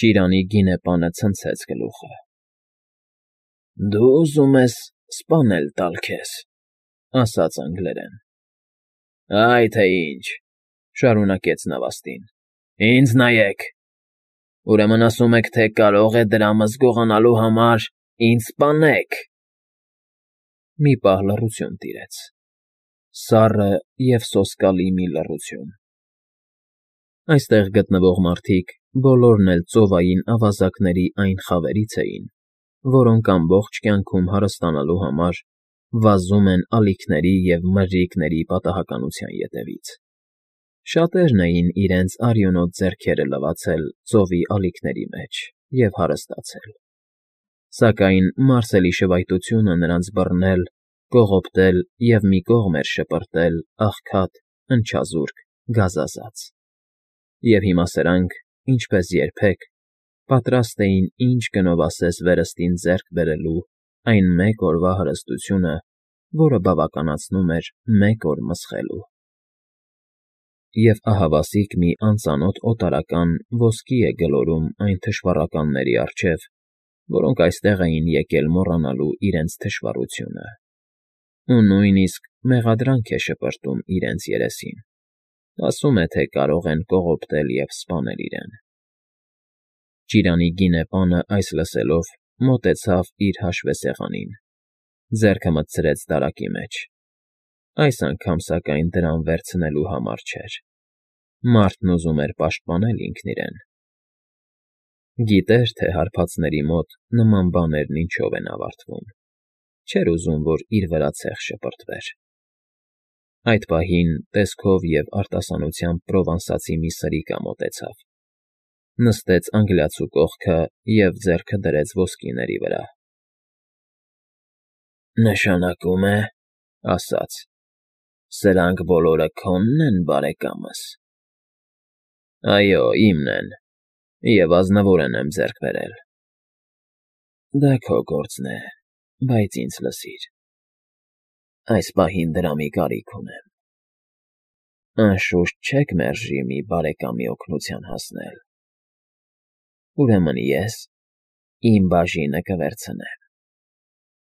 Ճիրանի գինեպանը ցնցեց գլուխը։ ֊ Դու ուզում ես սպանել տալ քեզ,֊ ասաց անգլերեն։ ֊ Այ թե ինչ,֊ շարունակեց նավաստին,֊ ինձ նայեք… Ուրեմն ասում եք, թե կարող է դրամս գողանալու համար ինձ սպանեք… Մի պահ լռություն տիրեց, սառը և սոսկալի մի լռություն… Այստեղ գտնվող մարդիկ բոլորն էլ ծովային ավազակների այն խավերից էին, որոնք ամբողջ կյանքում հարստանալու համար վազում են ալիքների և մրրիկների պատահականության ետևից. շատերն էին իրենց արյունոտ ձեռքերը լվացել ծովի ալիքների մեջ և հարստացել, սակայն Մարսելի շվայտությունը նրանց բռնել, կողոպտել և մի կողմ էր շպրտել աղքատ, ընչազուրկ, գազազած… Եվ հիմա սրանք, ինչպես երբեք, պատրաստ էին ինչ գնով ասես վերստին ձեռք բերելու այն մեկ օրվա հարստությունը, որը բավականացնում էր մեկ օր մսխելու… Եվ ահավասիկ մի անծանոթ օտարական ոսկի է գլորում այն թշվառականների առջև, որոնք այստեղ էին եկել մոռանալու իրենց թշվառությունը, ու նույնիսկ մեղադրանք է շպրտում իրենց երեսին, ասում է, թե կարող են կողոպտել և սպանել իրեն… Ճիրանի գինեպանը այս լսելով մոտեցավ իր հաշվեսեղանին, ձեռքը մտցրեց դարակի մեջ… Այս անգամ, սակայն, դրամ վերցնելու համար չէր. մարդն ուզում էր պաշտպանել ինքն իրեն… Գիտեր, թե հարբածների մոտ նման բաներն ինչով են ավարտվում, չէր ուզում, որ իր վրա ցեխ շպրտվեր… Այդ պահին տեսքով և արտասանությամբ Պրովանսացի մի սրիկա մոտեցավ, նստեց անգլիացու կողքը և ձեռքը դրեց ոսկիների վրա։ ֊ Նշանակում է, ասաց, սրանք բոլորը քո՞նն են, բարեկամս։ ֊ Այո, իմն են, և ազնվորեն եմ ձեռք բերել։ ֊ Դա քո գործն է, բայց ինձ լսիր. այս պահին դրամի կարիք ունեմ… Անշուշտ չեք մերժի մի բարեկամի օգնության հասնել… Ուրեմն ես իմ բաժինը կվերցնեմ…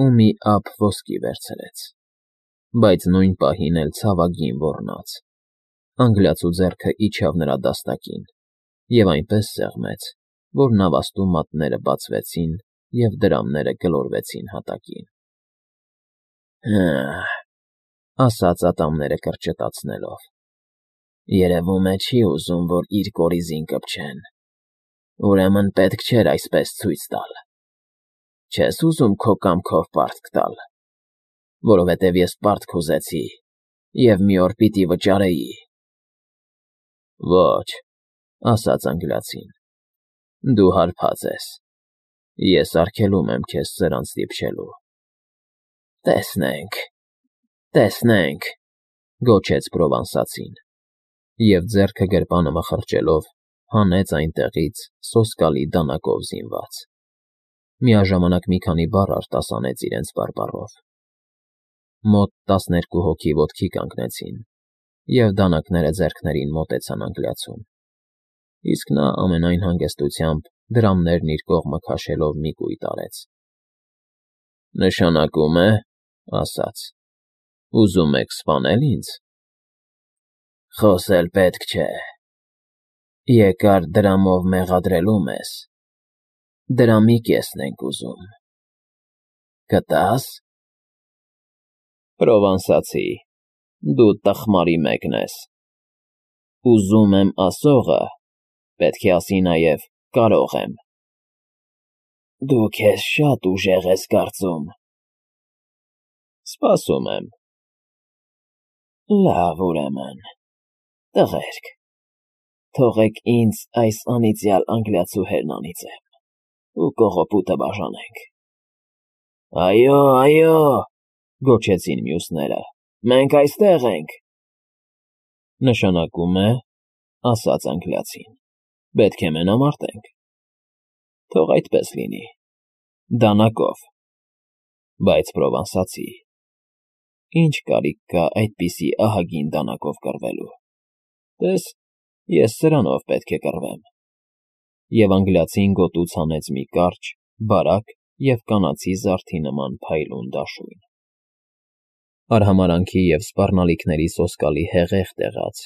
Ու մի ափ ոսկի վերցրեց, բայց նույն պահին էլ ցավագին ոռնաց, անգլիացու ձեռքը իջավ նրա դաստակին և այնպես սեղմեց, որ նավաստու մատները բացվեցին և դրամները գլորվեցին հատակին։ ֊ Հը՜,֊ ասաց ատամները կրճտացնելով,֊ երևում է չի ուզում, որ իր կորիզին կպչեն… Ուրեմն պետք չէր այսպես ցույց տալ… Չես ուզում քո կամքով պարտք տալ… Որովհետև ես պարտք ուզեցի և մի օր պիտի վճարեի… ֊ Ոչ,֊ ասաց անգլիացին,֊ դու հարբած ես… Ես արգելում եմ քեզ սրանց դիպչելու… ֊ Տեսնենք, տեսնենք,֊ գոչեց Պրովանսացին, և ձեռքը գրպանը մխրճելով հանեց այնտեղից սոսկալի դանակով զինված… Միաժամանակ մի քանի բառ արտասանեց իրենց բարբառով… Մոտ 12 հոգի ոտքի կանգնեցին, և դանակները ձեռքներին մոտեցան անգլիացուն, իսկ նա ամենայն հանգստությամբ դրամներն իր կողմը քաշելով մի կույտ արեց։ ֊ Նշանակում է, ասաց, ուզում եք սպանել ինձ… Խոսել պետք չէ… Երկար դրամով մեղադրելու մեզ… Դրամի կեսն ենք ուզում… Կտա՞ս… ֊ Պրովանսացի, դու տխմարի մեկն ես… Ուզում եմ ասողը, պետք է ասի նաև կարող եմ… ֊ Դու քեզ շատ ուժեղ ես կարծում… ֊ Սպասում եմ… ֊ Լավ, ուրեմն, տղերք, թողեք ինձ այս անիծյալ անգլիացու հերնանիծեմ ու կողոպուտը բաժանենք… ֊ Այո, այո,֊ գոչեցին մյուսները,֊ մենք այստեղ ենք… ֊ Նշանակում է, ասաց անգլիացին, պետք է մենամարտենք… Թող այդպես լինի… Դանակով… Բայց, Պրովանսացի, ի՞նչ կարիք կա այդպիսի ահագին դանակով կռվելու… Տես, ես սրանով պետք է կռվեմ… և անգլիացին գոտուց հանեց մի կարճ, բարակ և կանացի զարդի նման փայլուն դաշույն։ Արհամարանքի և սպառնալիքների սոսկալի հեղեղ տեղաց,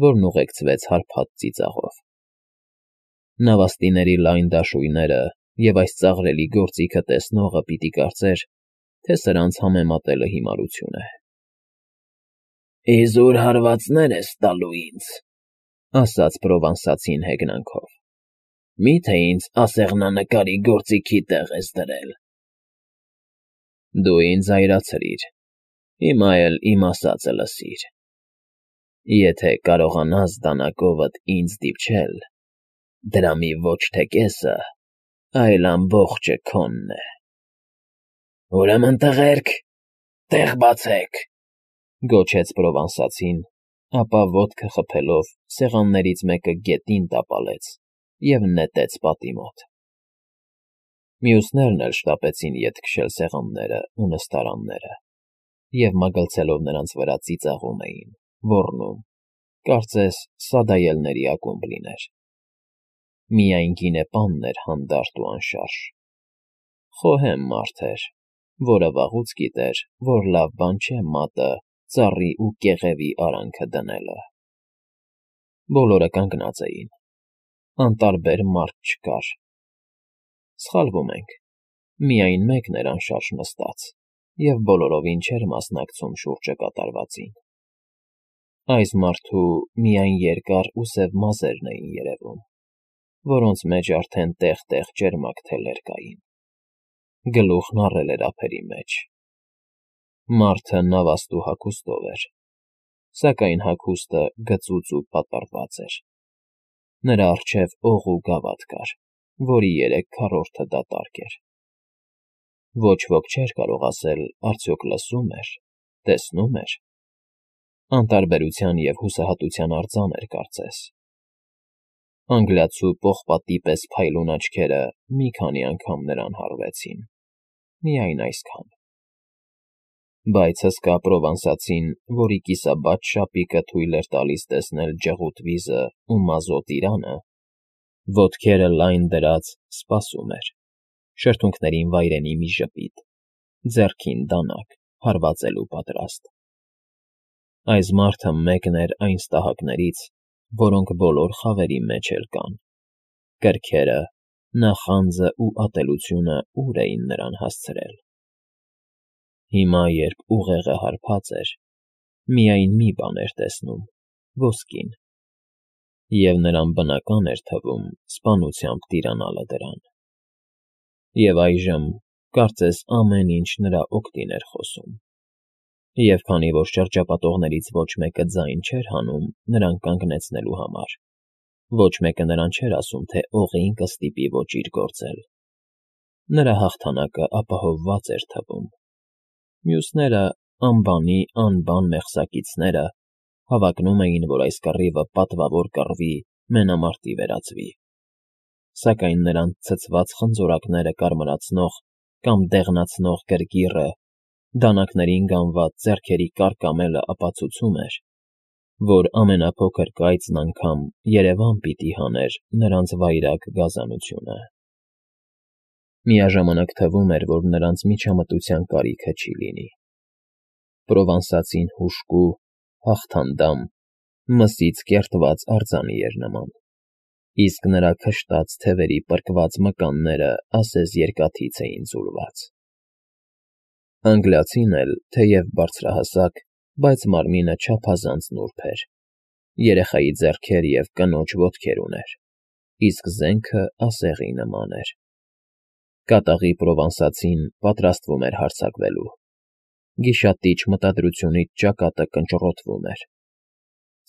որն ուղեկցվեց հարբած ծիծաղով։ Նավաստիների լայն դաշույները և այս ծաղրելի գործիքը տեսնողը պիտի կարծեր, թե սրանց համեմատելը հիմարություն է։ «Իզուր հարվածներ ես տալու ինձ,֊ ասաց Պրովանսացին հեգնանքով։֊ Մի՞թե ինձ ասեղնանկարի գործիքի տեղ ես դրել»։ «Դու ինձ այրացրիր, հիմա էլ իմ ասածը լսիր. եթե կարողանաս դանակովդ ինձ դիպչել, դրամի ոչ թե կեսը, այլ ամբողջը քոնն է»։ «Ուրեմն, տղերք, տեղ բացեք,֊ գոչեց Պրովանսացին, ապա ոտքը խփելով սեղաններից մեկը գետին տապալեց և նետեց պատի մոտ։ Մյուսներն էլ շտապեցին ետ քշել սեղաններն ու նստարանները և մագլցելով նրանց վրա ծիծաղում էին, ոռնում, կարծես սադայելների ակումբ լիներ։ Միայն գինեպանն էր հանդարտ ու անշարժ։ Խոհեմ մարդ էր, որը վաղուց գիտեր, որ լավ բան չէ մատը ծառի ու կեղևի արանքը դնելը։ Բոլորը կանգնած էին, անտարբեր մարդ չկար։ Սխալվում ենք, միայն մեկն էր անշարժ նստած և բոլորովին չէր մասնակցում շուրջը կատարվածին։ Այս մարդու միայն երկար ու սև մազերն էին երևում, որոնց մեջ արդեն տեղ֊տեղ ճերմակ թելեր կային։ Գլուխն առել էր ափերի մեջ։ Մարդը նավաստու հագուստով էր, սակայն հագուստը գծուծ ու պատառված էր։ Նրա առջև օղ ու գավաթ կար, որի 3/4-ը դատարկ էր։ Ոչ ոք չէր կարող ասել արդյոք լսում էր, տեսնում էր։ Անտարբերության և հուսահատության արձան էր կարծես։ Անգլիացու պողպատի պես փայլուն աչքերը մի քանի անգամ նրան հարվեցին, միայն այսքան։ Բայց հսկա Պրովանսացին, որի կիսաբաց շապիկը թույլ էր տալիս տեսնել ջղուտ վիզն ու մազոտ իրանը, ոտքերը լայն դրած, սպասում էր, շրթունքներին վայրենի մի ժպիտ, ձեռքին դանակ, հարվածելու պատրաստ։ Այս մարդը մեկն էր այն ստահակներից, որոնք բոլոր խավերի մեջ էլ կան։ Կրքերը, նախանձն ու ատելությունը ուր էին նրան հասցրել։ Հիմա, երբ ուղեղը հարբած էր, միայն մի բան էր տեսնում՝ ոսկին, և նրան բնական էր թվում սպանությամբ տիրանալը դրան։ Եվ այժմ, կարծես ամեն ինչ նրա օգտին էր խոսում։ Եվ քանի որ շրջապատողներից ոչ մեկը ձայն չէր հանում նրան կանգնեցնելու համար, ոչ մեկը նրան չէր ասում, թե օղին կստիպի ոճիր գործել, նրա հաղթանակը ապահովված էր թվում։ Մյուսները, անբանի անբան մեղսակիցները, հավակնում էին, որ այս կռիվը պատվավոր կռվի, մենամարտի վերածվի։ Սակայն նրանց ցցված խնձորակները կարմրացնող կամ դեղնացնող գրգիռը, դանակներին գանված ձեռքերի կարկամելը ապացուցում էր, որ ամենափոքր կայծն անգամ երևան պիտի հաներ նրանց վայրագ գազանությունը։ Միաժամանակ թվում էր, որ նրանց միջամտության կարիքը չի լինի։ Պրովանսացին հուժկու, հաղթանդամ, մսից կերտված արձանի էր նման, իսկ նրա քշտած թևերի պրկված մկանները ասես երկաթից էին ձուլված։ Անգլիացին էլ, թեև բարձրահասակ, բայց մարմինը չափազանց նուրբ էր, երեխայի ձեռքեր և կնոջ ոտքեր ուներ, իսկ զենքը ասեղի նման էր։ Կատաղի Պրովանսացին պատրաստվում էր հարձակվելու։ Գիշատիչ մտադրությունից ճակատը կնճռոտվում էր։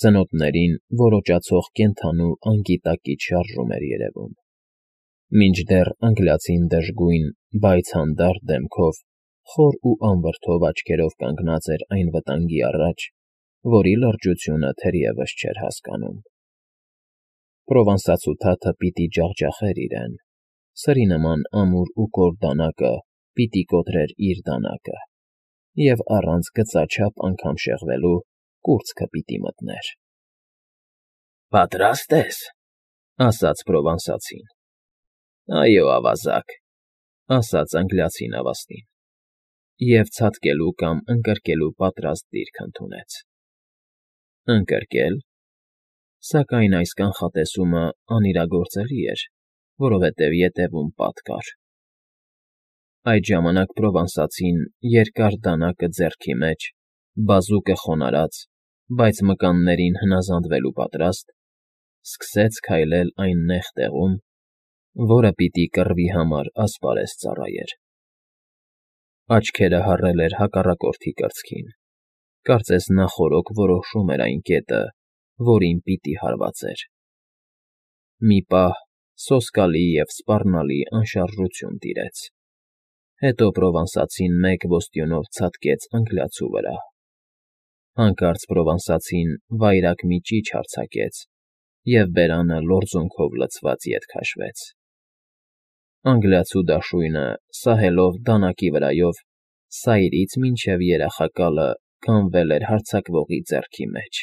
Ծնոտներին որոճացող կենդանու անգիտակից շարժում էր երևում։ Մինչդեռ անգլիացին դժգույն, բայց հանդարտ դեմքով, խոր ու անվրդով աչքերով կանգնած էր այն վտանգի առաջ, որի լրջությունը թերևս չէր հասկանում։ Պրովանսացու թաթը պիտի ջախջախեր իրեն, սրի նման ամուր ու կոր դանակը պիտի կոտրեր իր դանակը, և առանց գծաչափ անգամ շեղվելու կուրծքը պիտի մտներ։ ֊ Պատրաստ ես,֊ ասաց Պրովանսացին։ Այո, ավազակ, ասաց անգլիացին ավաստին, և ցատկելու կամ ընկրկելու պատրաստ դիրք ընդունեց։ Ընկրկել, սակայն այս կանխատեսումը անիրագործելի էր, որովհետև ետևում պատ կար։ Այդ ժամանակ Պրովանսացին երկար դանակը ձեռքի մեջ, բազուկը խոնարհած, բայց մկաններին հնազանդվելու պատրաստ, սկսեց քայլել այն նեղ տեղում, որը պիտի կռվի համար ասպարեզ ծառայեր։ Աչքերը հառել էր հակառակորդի կրծքին, կարծես նախօրոք որոշում էր այն կետը, որին պիտի հարվածեր։ Մի պահ սոսկալի և սպառնալի անշարժություն տիրեց։ Հետո Պրովանսացին մեկ ոստյունով ցատկեց անգլիացու վրա։ Հանկարծ Պրովանսացին վայրագ մի ճիչ արձակեց, և բերանը լորձունքով լցված ետ քաշվեց։ Անգլիացու դաշույնը, սահելով դանակի վրայով, սայրից մինչև երախակալը քամվել էր հարձակվողի ձեռքի մեջ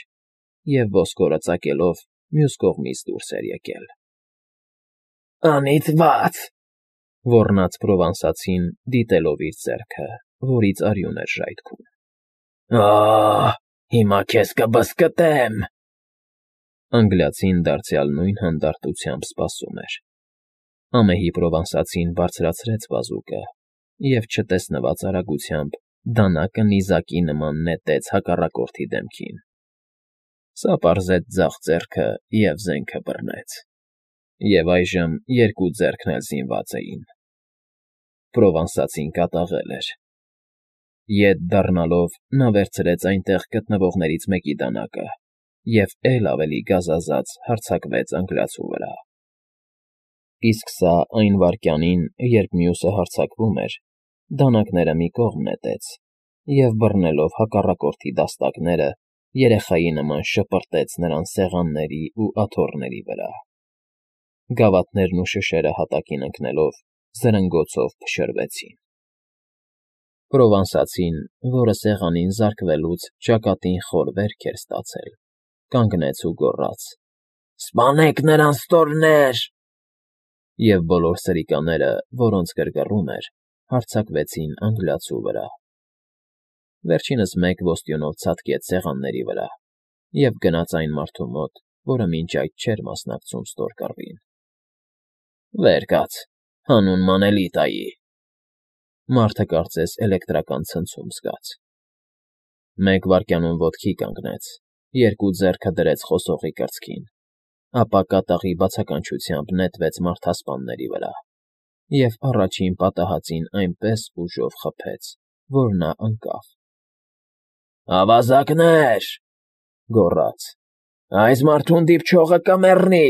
և ոսկորը ծակելով մյուս կողմից դուրս էր եկել։ Անիծված,֊ ոռնաց Պրովանսացին, դիտելով իր ձեռքը, որից արյուն էր ժայթքում։ Ահ, հիմա քեզ կբզկտեմ… Անգլիացին դարձյալ նույն հանդարտությամբ սպասում էր։ Ամեհի Պրովանսացին բարձրացրեց բազուկը և չտեսնված արագությամբ դանակը նիզակի նման նետեց հակառակորդի դեմքին։ Սա պարզեց ձախ ձեռքը և զենքը բռնեց։ Եվ այժմ երկու ձեռքն էլ զինված էին։ Պրովանսացին կատաղել էր։ Ետ դառնալով՝ նա վերցրեց այնտեղ գտնվողներից մեկի դանակը և էլ ավելի գազազած հարձակվեց անգլիացու վրա։ Իսկ սա այն վայրկյանին, երբ մյուսը հարձակվում էր, դանակները մի կողմ նետեց և, բռնելով հակառակորդի դաստակները, երեխայի նման շպրտեց նրան սեղանների ու աթոռների վրա։ Գավաթներն ու շշերը հատակին ընկնելով, զրնգոցով փշրվեցին։ Պրովանսացին, որը սեղանին զարկվելուց ճակատին խոր վերք էր ստացել, կանգնեց ու գոռաց. «Սպանեք նրան, ստորներ…» Եվ բոլոր սրիկաները, որոնց գրգռում էր, հարձակվեցին անգլիացու վրա։ Վերջինս մեկ ոստյունով ցատկեց սեղանների վրա և գնաց այն մարդու մոտ, որը մինչ այդ չէր մասնակցում ստորկռվին։ Վեր կաց, հանուն Մանելիտայի…֊ Մարդը կարծես էլեկտրական ցնցում զգաց։ Մեկ վայրկյանում ոտքի կանգնեց, երկու ձեռքը դրեց խոսողի կրծքին, ապա կատաղի բացականչությամբ նետվեց մարդասպանների վրա և առաջին պատահածին այնպես ուժով խփեց, որ նա ընկավ։ «Ավազակներ,֊ գոռաց,֊ այս մարդուն դիպչողը կմեռնի…»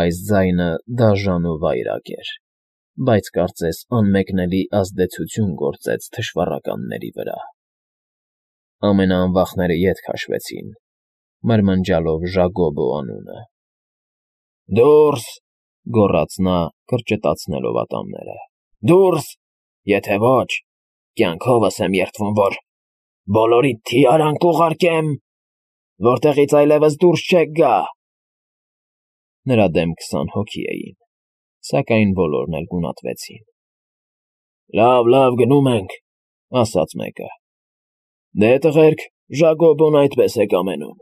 Այս ձայնը դաժան ու վայրագ էր, բայց կարծես անմեկնելի ազդեցություն գործեց թշվառականների վրա։ Ամենաանվախները ետ քաշվեցին, մրմնջալով Ժագոբո անունը։ «Դո՛ւրս,֊ գոռաց նա, կրճտացնելով ատամները,֊ դուրս, եթե ոչ, կյանքովս եմ երդվում, որ բոլորիդ թիարանք կուղարկեմ, որտեղից այլևս դուրս չեք գա…» Նրա դեմ 20 հոգի էին, սակայն բոլորն էլ գունատվեցին։ «Լավ, լավ, գնում ենք,֊ ասաց մեկը։ Դե, տղերք, Ժագոբոն այդպես է կամենում»։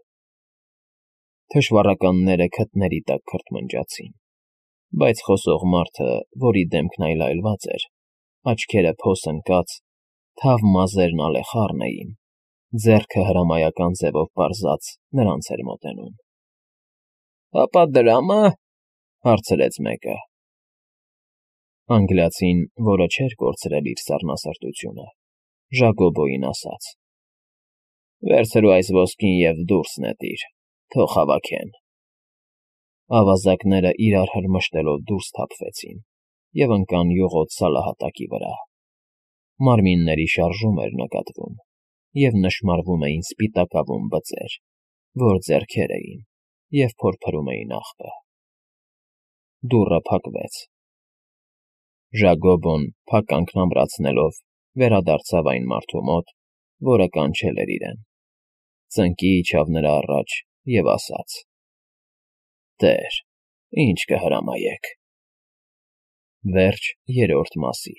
Թշվառականները քթների տակ քրթմնջացին, բայց խոսող մարդը, որի դեմքն այլայլված էր, աչքերը փոս ընկած, թավ մազերն ալեխառն էին, ձեռքը հրամայական ձևով պարզած նրանց էր մոտենում։ «Հապա դրամը…֊ հարցրեց մեկը։ Անգլիացին, որը չէր կորցրել իր սառնասրտությունը, Ժագոբոյին ասաց. «Վերցրու այս ոսկին և դուրս նետիր, թող հավաքեն»։ Ավազակները իրար հրմշտելով դուրս թափվեցին և ընկան յուղոտ սալահատակի վրա։ Մարմինների շարժում էր նկատվում, և նշմարվում էին սպիտակավուն բծեր, որ ձեռքեր էին և փորփրում էին աղբը։ Դուռը փակվեց։ Ժագոբոն, փակ կանգն ամրացնելով, վերադարձավ այն մարդու մոտ, որը կանչել էր իրեն, ծնկի իջավ նրա առաջ և ասաց. Տեր, ինչ կհրամայեք։ Վերջ երրորդ մասի։